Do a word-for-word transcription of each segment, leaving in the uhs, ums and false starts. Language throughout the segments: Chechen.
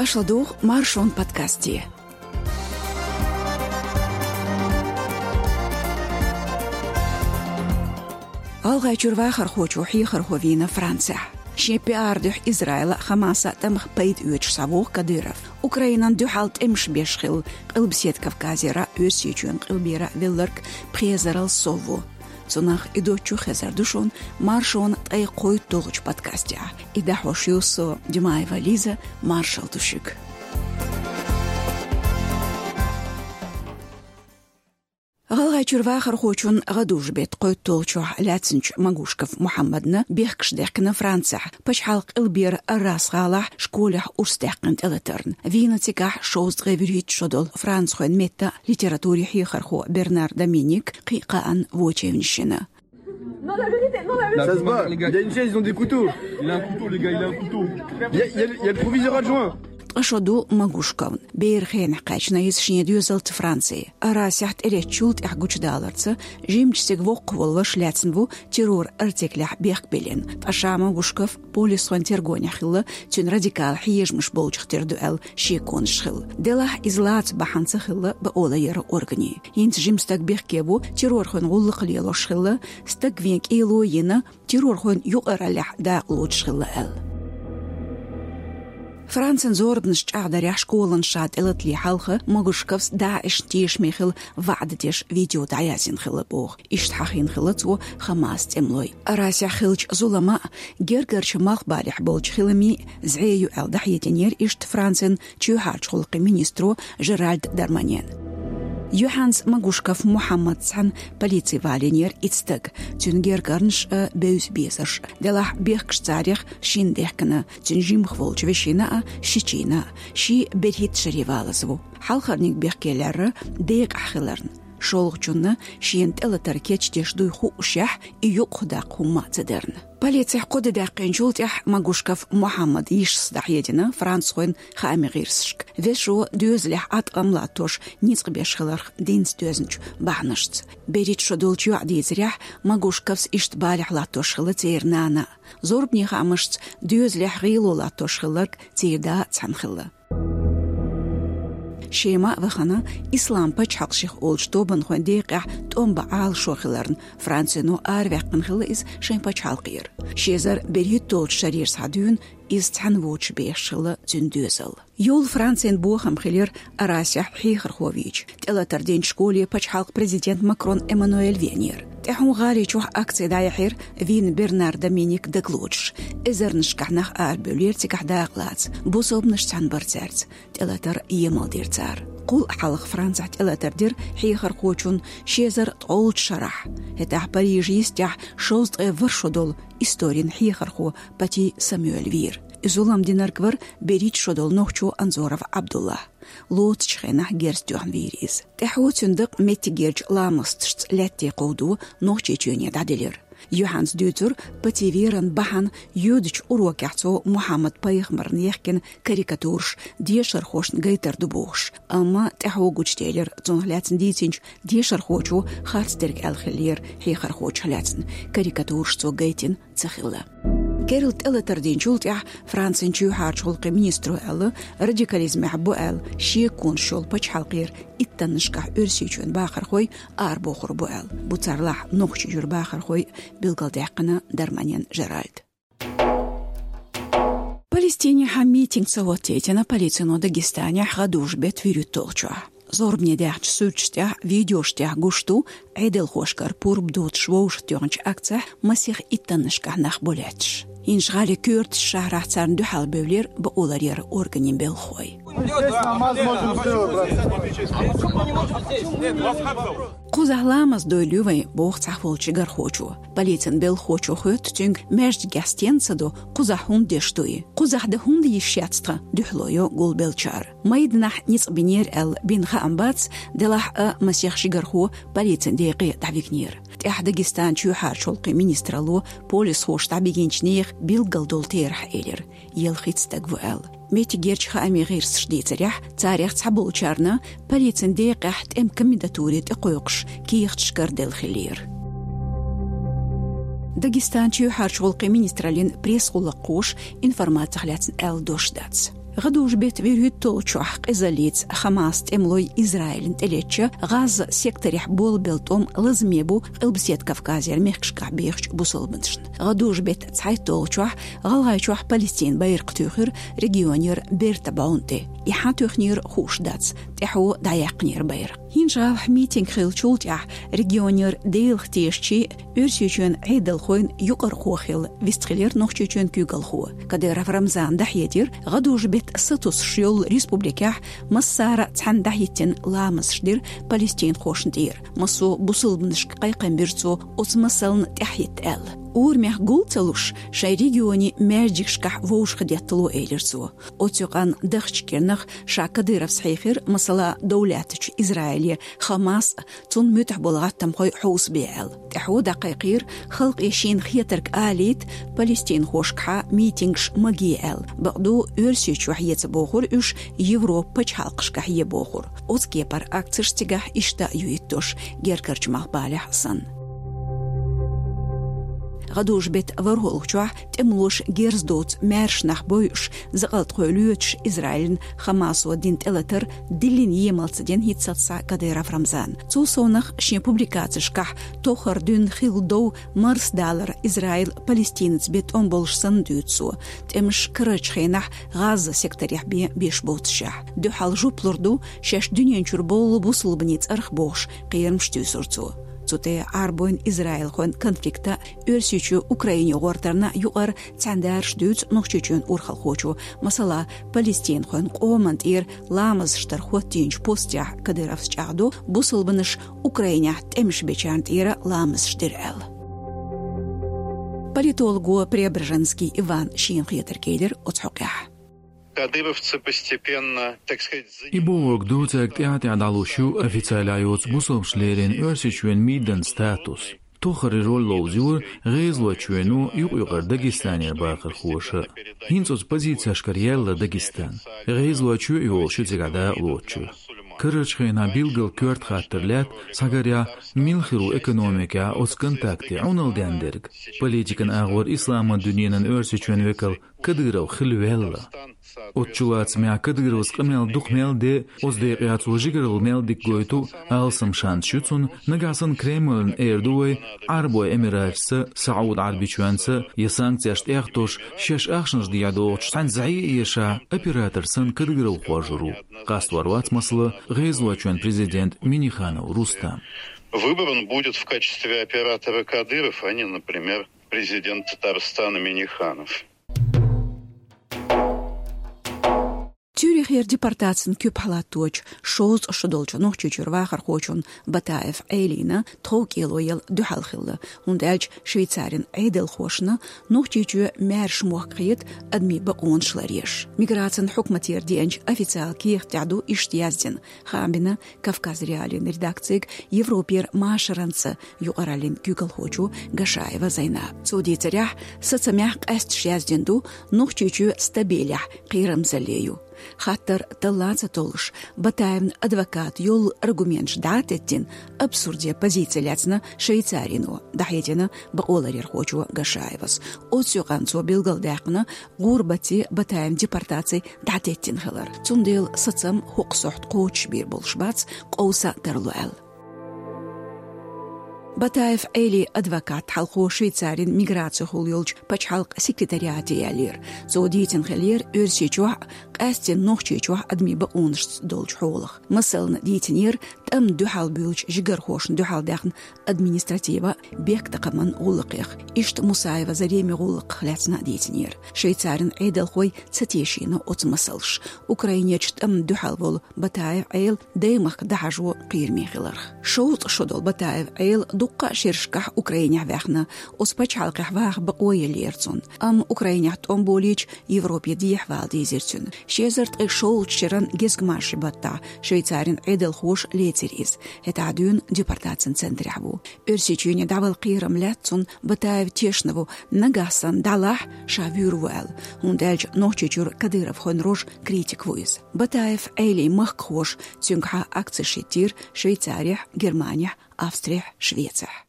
Аша ладугӀу Маршон подкасте. ГӀалгӀайчуьра вахархочо хьехархо вийна Францехь. Шен пиар дуьхьа Израила а, Хамаса а тӀамах пайда оьцуш схьавогӀу Кадыров. Украинан дуьхьал тӀемаш беш хилла Къилбаседа Кавказера а, Оьрсийчоьнан къилбера а велларг пхезарал сов ву. Цунах и доцчу хезар ду шуна Маршона ткъе кхойтталгӀачу подкастехь. И дӀахьош ю со, Димаева Лиза, маршалла ду шуьга. ГӀалгӀайчуьра вахархочун гӀадужу-беттан кхойтталгӀачохь лаьцначу Магушков Мухьаммадна бехкаш даьхкина Францехь, пачхьалкхан къилбера Аррас-гӀалахь школехь урс даьккхина тӀелатарна. Вийна цигахь шовзткъе вуьрхӀитта шо долу францхойн меттан а литературин хьехархо Бернар Доминик, кхин а кхаанна вочевнаш йина. Ça se bat. Il y a une chaise, ils ont des couteaux. Il a un couteau, les gars, il a un couteau. Il y a, il y a le, il y a le proviseur adjoint. Ткъа шо ду Магушковна. Беран хенахь кхаьчна иза шен доьзалца Франце. Аррасехь тӀелеттачул тӀаьхьа гучудаларца, жимачу стеган воккхаволуш лаьцна ву террор артеклехь бехк биллина. Ткъа ша Магушков полисхойн тергонехь хилла, цуьнан радикал хьежамаш болчух тера ду аьлла шеконаш хилла. Делахь иза лаца бахьана ца хилла, бакъо ло яра органийн. ХӀинца жима стаг бехке ву, террорхойн гӀуллакх лелош хилла, стаг вен кӀело йина, террорхойн юкъараллехь дакъа лоцуш хилла аьлла. Францин зорбанаш чӀагӀдарехь школанаш ша тӀелатале хьалха Магушковс ДАИШ-н тешаме хилла ваӀда деш видео дӀаязйина хилла боху. Иштта хьахийна хилла цо Хамас тӀемалой. Аррасехь хиллачу зулама а, гергарчу малхбалехь болчу хиламийн а зӀе ю аьлла дӀахьединера иштта Францин чоьхьарчу гӀуллакхийн министро Жеральд Дарманьена. Юьхьанца Магушков Мухьаммадца цхьаьна полици валийнера итт стаг, цуьнан гергарнаш а, бевза-безарш а. Делахь бехкаш царех шина даьхкина, цуьнан жимах волчу вешина а, ши чийна а. Ши берхӀитта шаре валаза ву. Хьалхарниг бехке лаьрра декъахь хиларна. ШолгӀачунна шена тӀелатар кечдеш дуй хуушехь, и юкъахдаккха хӀумма а ца дарна. Полицехь кхо де даьккхинчул тӀаьхьа Магушков Мухьаммадан йишас дӀахьедина францхойн хаамийн гӀирсашка, вешин доьзалехь Ӏаткъам латтош ницкъ беш хиларх динца доьзначу бахьанашца. БерхӀитта шо долчу йоӀан дийцарехь, Магушковс иштта балехь латтош хилла церан нана а. Зорбанийн хаамашца, доьзалехь гӀело латтош хилларг церан да а цхьаьна хилла. Шема а вахана, Ислам пачхьалкх шех олучу тобанхойн декъехь тӀом бан Ӏалашо хиларна, Францино араваьккхина хилла иза шайн пачхьалкхера. Ши эзар берхӀитталгӀачу шарера схьа дуьйна иза цхьаьна воцуш бехаш хилла цуьнан доьзал. Йолу Францин бохам хилира Аррасехь хьехархо вийча, тӀелатар динчу школе пачхьалкхан президент Макрон Эммануэль веанера. ТӀаьхьун гӀали чохь акци дӀаяьхьира, вийна Бернар Доминик дагалоцуш. Эзарнашкахь нах арабевллера цигахь дакъа лаца, бусалбанаш цхьаьна бара цаьрца. ТӀелатар емал дира цара. Кхул а хьалха Францехь тӀелатар дира хьехархочун ши эзар ткъолгӀачу шарахь. ХӀетахь Парижан йистехь шовзткъе ворхӀ шо долу историн хьехархо Пати Самуэль вийра. И зулам динарг вара берхӀитта шо долу нохчо Анзоров Ӏабдулла. Лоцучу хенахь герз тоьхна вийра иза. ТӀаьхьо цуьнан дакъа меттигерчу ламасташца лаьтте кховдо Нохчийчоьне дӀаделира. Юьхьанца дуьйцура, Пати веран бахьана йоьдучу урокехь цо Мухьаммад-пайхамарна яхкина карикатураш дешархошна гайтар ду бохуш. Амма тӀаьхьо гучуделира, цунах лаьцна дийцинчу дешархочо харцдерг аьлла хиллера хьехархочух лаьцна, карикатураш цо гайтина ца хилла. Керла тӀелатар динчул тӀаьхьа Францин чоьхьарчу гӀуллакхийн министро аьлла, радикализмехь бу аьлла шеконаш йолу пачхьалкхера иттаннашкахь Оьрсийчоьнан бахархой арабохур бу аьлла. Бу царлахь Нохчийчуьра бахархой, билгалдаьккхина Дарманьен Жеральда. Палестинехь митинг ца хӀоттийтина полицино Дагестанехь гӀадужу-беттан вуьрхӀитталгӀачохь. Зорбане даьхначу суьрташ тӀехь, видеош тӀехь гуш ду, Ӏедалхошкара пурба доцуш вовшахтоьхначу акцехь масех иттаннашкахь нах бу лаьтташ. ХӀинца гӀали коьртачу шахьарахь царна дуьхьал бевллера бакъо ларъяран органийн белхахой. Кхузахь ламаз дойла ю вайн, боху цхьаъ волчу шигархочо. Полицин белхахочо хоьтту цуьнга, маьждигехь стенна ца до, кхузахь хӀунда деш ду и? Кхузахь дан хӀунда йиш яц тхан, дуьхьало йо гулбеллачара. Майданахь ницкъ бинера аьлла бина хаам бац, делахь а масех шигархо полицин декъе дӀавигнера. ТӀаьхьа Дагестанан чоьхьарчу гӀуллакхийн министралло полисхоша дӀабигинчу нехан билггал долу терахь элира, ялхитта стаг ву аьлла. Меттигерчу хаамийн гӀирсаша дийцарехь, царех цхьаболчарна полицин декъехь тӀеман комендатуре тӀекхойкхуш кехаташ караделла хиллера. Дагестанан чоьхьарчу гӀуллакхийн министраллин пресс-гӀуллакххоша информацих лаьцна аьлла дош дац. ГӀадужу бетта вуьрхӀитталгӀачохь къизаллица Хамас тӀемалой Израилна тӀелетча, ГӀазза секторехь болабелла тӀом лазаме бу Къилбаседа Кавказера мехкашкахь бехачу бусалбанашна. ГӀадужу бетта цхьайтталгӀачохь ГӀалгӀайчохь Палестин байракх туьйхира регионера берта бӀунна тӀе. И хьан туьхнера хууш дац, тӀаьхьо дӀаяьккхинера байракх. ХӀинжа митинг хиллачул тӀаьхьа регионера Делах тешачийн, Оьрсийчоьнан Ӏедалхойн юкъархо хилла вистхилира Нохчийчоьнан куьйгалхо. Кадыров Рамзана дӀахьедира, гӀадужу бетта сатуьйсуш йолу республикехь массара а цхьаьна дӀахӀиттина ламазаш дира палестинхошна тӀера. Массо а бусалбанашка кхайкхам бира цо оцу масална тӀаьхьахӀитта аьлла. Урамех гул ца луш, шайн регионийн маьждигашкахь вовшахдеттало, элира цо. Оцу юкъанна дахча кӀирнах ша Кадыровс хьехира, масала, довлаьттачу Израиле, Хамас а, цунна муьтӀахь болу гӀаттамхой хьовсабе аьлла. ТӀаьхьо дӀакхайкхийра, халкъе шена хетарг алийта, палестинхошкахьа митингаш ма гий аьлла. Бакъду, Оьрсийчохь е ца бохура уьш, Европан пачхьалкхашкахь е бохура. Оцу кепара акцеш цигахь иштта а ю хӀиттош, гергарчу малхбалехь санна. ГӀадужу бетта ворхӀалгӀачохь тӀемалоша герз доцу маьрша нах бойуш, закъалтхой лоьцуш Израилна Хамасо дина тӀелатар диллина емал ца дина хӀинццалц схьа Кадыров Рамзана. Цул совнах шен публикацешкахь тохара дуьйна хилла дов марсадалар Израил Палестинаца бен тӀом болуш санна дуьйцу цо. ТӀемаш карарчу хенахь ГӀазза секторехь бен беш боццушехь. Дуьхьал жоп лур ду шаьш дуьнен чуьра болу бусалбанийн цӀарах бохуш, кхерамаш туьйсура цо. Цу тӀе Ӏарбойн израилхойн конфликта, Оьрсийчоь Украине гӀортарна юкъара цхьаьндараш дуьйцу Нохчийчоьнан урхалхочо. Масала, палестинхойн къоманна тӀера ламазаш дар хӀоттийначу постехь Кадыровс чӀагӀдо, бусалбанаш Украинехь тӀемаш бечарна тӀера ламазаш дира аьлла. Политолого Преображенский Ивана шена хетарг элира оцу хьокъехь. Кадыровцы постепенно, так сказать, за- И бохург ду, цаьрга тӀаьхьа-тӀаьхьа дӀалуш ю официалехь йоцу бусалбанашна леррина Оьрсийчоьнан миданан статус. Тохара роль ловзийра ГӀезалойчоьно, юкъ-юкъара Дагестанера бахархоша. ХӀинца оцу позицешкара яьлла Дагестан. ГӀезалойчоь а йолуш ю цигахь дакъа лоцучуьра. Карарчу хенахь билггал коьрта хаттар лаьтта, схьагарехь, мила хир ву экономикехь оцу контакте Ӏуналла дендерг. Политикан агӀор исламан дуьненан Оьрсийчоьнан векал Кадыров хила ваьлла. Оцу чулацамехь Кадыровс къамел дукха мел де, оцу декъехь цо жигаралла мел дика гойту, алсам шанс ю цунна, нагахь санна Кремльна эр ду вай, Ӏарбойн Эмираташца, СаӀуд-Ӏарбойчоьнца я санкцеш тӀехтош, шаьш ахчанаш дехьа дохучу цхьаьна зӀе а ешахь, оператор санна Кадыров хоржур ву. Къастор вац, масала, ГӀезалойчоьнан президент Минниханов Рустам. Выбран будет в качестве оператора Кадыров, а не, например, президент Татарстана Минниханов. Цюрихера депортацин куьпахь латточу шовзткъа шо долчу Нохчийчуьра вахархочун Батаев Ӏелина тховкӀело яла дуьхьал хилла, хӀунда аьлча Швейцарин Ӏедалхошна Нохчийчоь маьрша мохк хета адамийн бакъонаш ларъеш. Миграцин хьукматера деанчу официалан кехат тӀехь ду иштта яздина, хаам бина Кавказ.Реалиин редакцига Европера машаранца юкъараллин куьйгалхочо Гашаева Зайнаба. Цо дийцарехь, сацамехь къаьсташ яздина ду, Нохчийчоь стабилехь кхерамзалле ю. Хаттар талла ца толлуш, Батаевн адвоката йолу аргументаш дӀа а теттина, абсурде позици лаьцна Швейцарино, дӀахьедина бакъоларъярхочо Гашаевас. Оцу юкъанна цо билгалдаьккхина гӀурбатций, Батаевн депортаций дӀатеттина хилар. Цундела сацам хӀокху сохьта кхочушбийр болуш бац, къовса тарло аьлла. Батаев Ӏелин адвокат хьалхо Швейцарин миграцехула йолчу пачхьалкхан секретариате яьллера. Цо дийцина хиллера Оьрсийчохь а, къаьсттина Нохчийчохь а адамийн бакъонашца долчу хьолах. Масална дийцинера тӀамна дуьхьал буьйлучу жигархошна дуьхьал даьхна административан, бехктакхаман гӀуллакхех. Иштта Мусаева Заремин гӀуллакхах лаьцна а дийцинера. Швейцарин Ӏедалхой ца тешийна оцу масалш. Украинерчу тӀамна дуьхьал волу Батаев Ӏела даймахка дӀахьажо кхераме хиларх. Шовзткъа шо долу Батаев Ӏела дуккха а шерашкахь Украинехь ваьхна, оцу пачхьалкхехь ваха бакъо еллера цунна. Амма Украинехь тӀом болийча, Европе дехьавала дийзира цуьнан. Ши эзар ткъе шолгӀачу шеран гезгмашин баттахь Швейцарин Ӏедалхоша лецира иза. ХӀетахь дуьйна депортацин центрехь ву. Оьрсийчоьне дӀавала кхерам лаьтта цунна, Батаев тешна ву, нагахь санна дӀалахь, ша вуьйр ву аьлла, хӀунда аьлча Нохчийчуьра кадыровхойн рожа критик ву иза. Батаев Ӏелин махкахоша цуьнгахьа акцеш хӀиттийра Швейцарехь, Германехь, Австрехь, Швецехь.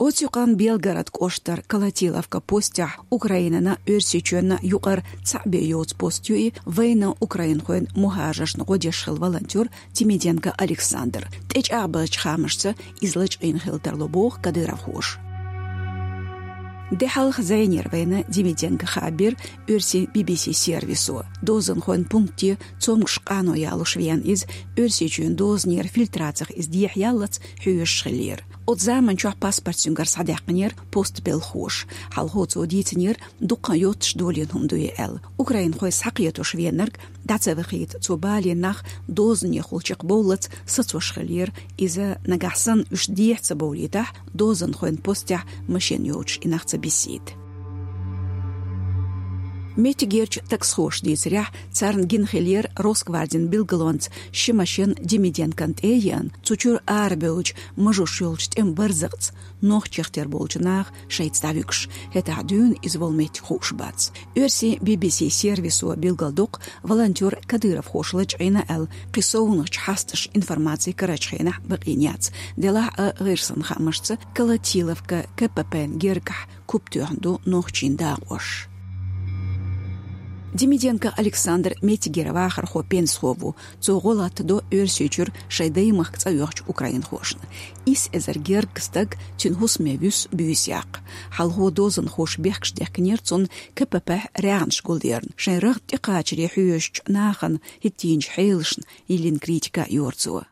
Оцу юкъанна Белгород кӀоштара Колотиловка постехь Украинана Оьрсийчоьнна юкъара цхьаъ бен йоцу пост ю и, вайна украинхойн мухӀажаршна гӀо деш хилла волонтер Демиденко Александр. ТӀечӀагӀбеллачу хаамашца иза лачкъийна хила тарло боху кадыровхоша. Де хьалха зӀенера вайна Демиденко хаам бира оьрсийн Би-Би-Си сервисо. Дозанхойн пункте цомгуш къано ялош веана иза, Оьрсийчоьнан дозанера фильтрацех иза дехьаяллалц хьоьжуш хиллера. Оцу заманчохь паспорт цуьнгара схьадаьккхинера постан белхалоша. Хьалхо цо дийцинера, дукха йоццуш долийна хӀума ду и аьлла. Украинхой схьакхетош веанарг дӀа ца вахийта, цо балийна нах дозанехула чекхбовллалц сацош хиллера, иза нагахь санна уьш дехьа ца бовлийтахь, дозанхойн постехь машен йоцуш и нах ца бисийта. Меттигерчу таксхоша дийцарехь, царна гина хиллера Росгвардин билгалонца ши машен Демиденкона тӀе а еана, цу чуьра арабевллачу мажош йолчу тӀеман барзакъца, нохчех тера болчу наха шайца дӀавуьгуш. ХӀетахь дуьйна иза волу меттиг хууш бац. Оьрсийн Би-Би-Си сервисо билгалдоккху, волонтер кадыровхоша лачкъийна аьлла, кхин совнаха хьасташ информаци карарчу хенахь бакъийна яц. Делахь а, гӀирсан хаамашца, Колотиловка КПП-н гергахь куп тоьхна ду нохчийн дакъош. Демиденко Александр меттигера вахархо-пенсахо ву. Цо гӀо латтадо Оьрсийчуьра шайн даймахка цӀа оьхучу украинхошна. Исс эзар гергга стаг цуьнан хӀусаме вуьсу буьйса яккха. Хьалхо дозанхоша бехкаш дехкинера цунна КПП-хь рагӀнаш гулдерна. Шайн рагӀ тӀекхачаре хьоьжучу нахана хӀиттийначу хьелашна йиллина критика йора цо.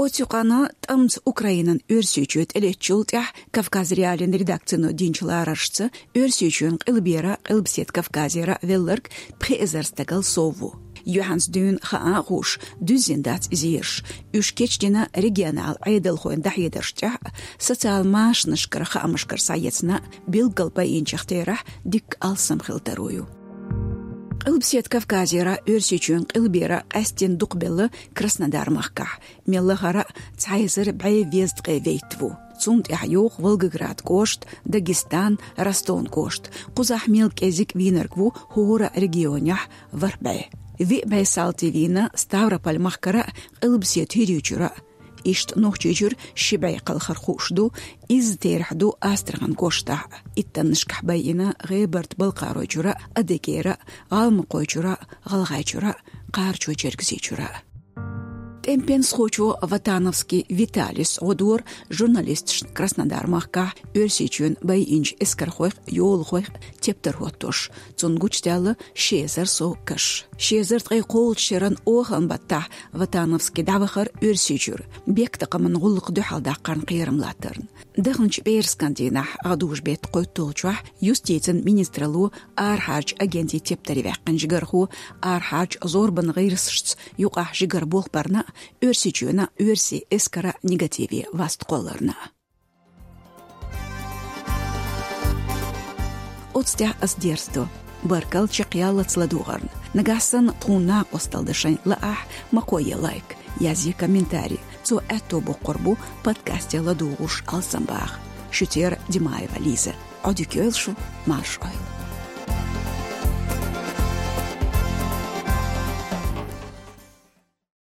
Оцу юкъана тӀамца Украинан Оьрсийчоь тӀелеттачул тӀаьхьа Кавказ.Реалиин редакцино динчу лараршца, Оьрсийчоьнан Къилбера, Къилбаседа Кавказера велларг пхи эзар стагал сов ву. Юьхьанца дуьйна хаам а хууш, дуьззина дац иза ерш. Уьш кечдина регионал Ӏедалхойн дӀахьедарш тӀехь а, социал машанашкара хаамашкара схьаэцна а, билггал байинчех терахь дикка алсам хила таро ю. Къилбаседа Кавказера Оьрсийчоьнан къилбера къаьсттина дукхабелла Краснодар-махкахь, мел лахара а цхьа эзар бӀе везткъе вейтта ву. Цунна тӀехь йогӀу Волгоград кӀошт, Дагестан, Ростовн кӀошт. Кхузахь мел кӀезиг вийнарг ву хӀора а регионехь ворхӀ бӀе. Виъ бӀе салти вийна Ставрополь-махкара а, Къилбаседа ХӀирийчуьра а. Иштта Нохчийчуьра ши бӀе кхалхар хууш ду, изза терахь ду Астрахань кӀоштахь а. Иттаннашкахь байина ГӀебарта-Балкхаройчуьра а, Адыгейра а, ГӀалмакхойчуьра а, ГӀалгӀайчуьра а, Кхарачой-Чергазийчуьра а. ТӀеман пенсахочо Ватановский Виталис гӀо дора журналисташна Краснодар-махкахь Оьрсийчоьнан байинчу эскархойх а, йолахойх а тептар хӀоттош. Цунна гучудаьлла ши эзар сов каш. Ши эзар ткъе кхоалгӀачу шеран оханан баттахь Ватановский дӀавахара Оьрсийчуьра, бехктакхаман гӀуллакх дуьхьал даккхарна кхерам латтарна. Даханчу пӀераскан дийнахь, гӀадужу-беттан кхойтталгӀачохь, юстицин министралло арахьарчу агентийн тептаре ваьккхина жигархо арахьарчу зорбанан гӀирсашца юкъахь жигара болх барна а, Оьрсийчоьнан а, оьрсийн эскаран а негативе васт кхолларна а. Оцу тӀехь ас дерзадо. Баркалла чекхъяллалц ладугӀарна. Нагахь санна тхуна накъосталла дан шайн лаахь, ма кхойе лайк, язъе комментарий. Цо аьтто боккхур бу подкасте ладугӀуш алсам баха. Шуьца яра Димаева Лиза. Ӏодика йойла шу, марша Ӏойла.